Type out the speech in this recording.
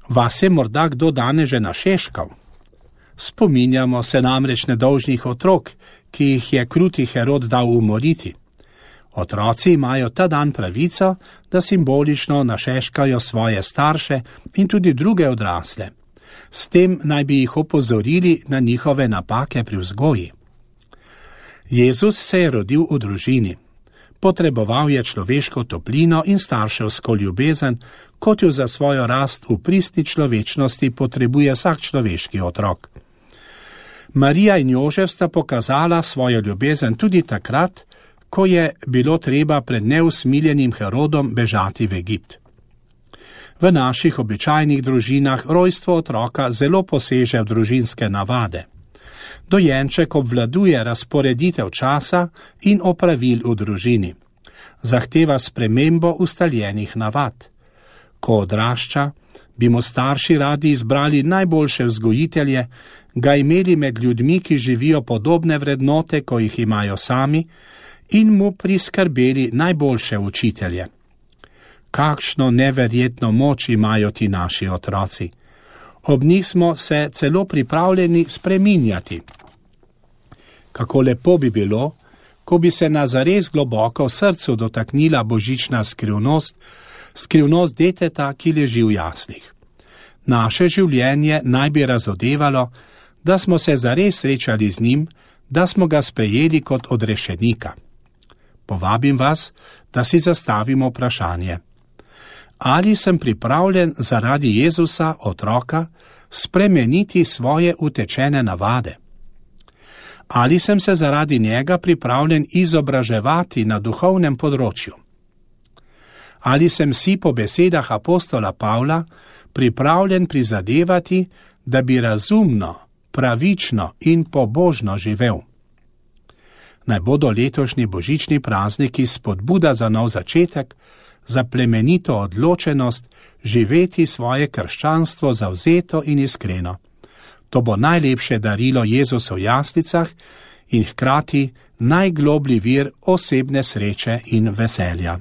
Vas je morda kdo danes že našeškal? Spominjamo se namreč nedolžnih otrok, ki jih je kruti Herod dal umoriti. Otroci imajo ta dan pravico, da simbolično našeškajo svoje starše in tudi druge odrasle. S tem naj bi jih opozorili na njihove napake pri vzgoji. Jezus se je rodil v družini. Potreboval je človeško toplino in starševsko ljubezen, kot jo za svojo rast v pristni človečnosti potrebuje vsak človeški otrok. Marija in Jožef sta pokazala svojo ljubezen tudi takrat, ko je bilo treba pred neusmiljenim Herodom bežati v Egipt. V naših običajnih družinah rojstvo otroka zelo poseže v družinske navade. Dojenček obvladuje razporeditev časa in opravil v družini. Zahteva spremembo ustaljenih navad. Ko odrašča, bi mu starši radi izbrali najboljše vzgojitelje, ga imeli med ljudmi, ki živijo podobne vrednote, ko jih imajo sami, in mu priskrbeli najboljše učitelje. Kakšno neverjetno moč imajo ti naši otroci. Ob njih smo se celo pripravljeni spreminjati. Kako lepo bi bilo, ko bi se na zares globoko v srcu dotaknila božična skrivnost deteta, ki leži v jaslih. Naše življenje naj bi razodevalo, da smo se zares srečali z njim, da smo ga sprejeli kot odrešenika. Povabim vas, da si zastavimo vprašanje. Ali sem pripravljen zaradi Jezusa, otroka, spremeniti svoje utečene navade? Ali sem se zaradi njega pripravljen izobraževati na duhovnem področju? Ali sem si po besedah apostola Pavla pripravljen prizadevati, da bi razumno, pravično in pobožno živel? Naj bodo letošnji božični prazniki spodbuda za nov začetek, za plemenito odločenost živeti svoje krščanstvo zavzeto in iskreno. To bo najlepše darilo Jezusa v jaslicah in hkrati najgloblji vir osebne sreče in veselja.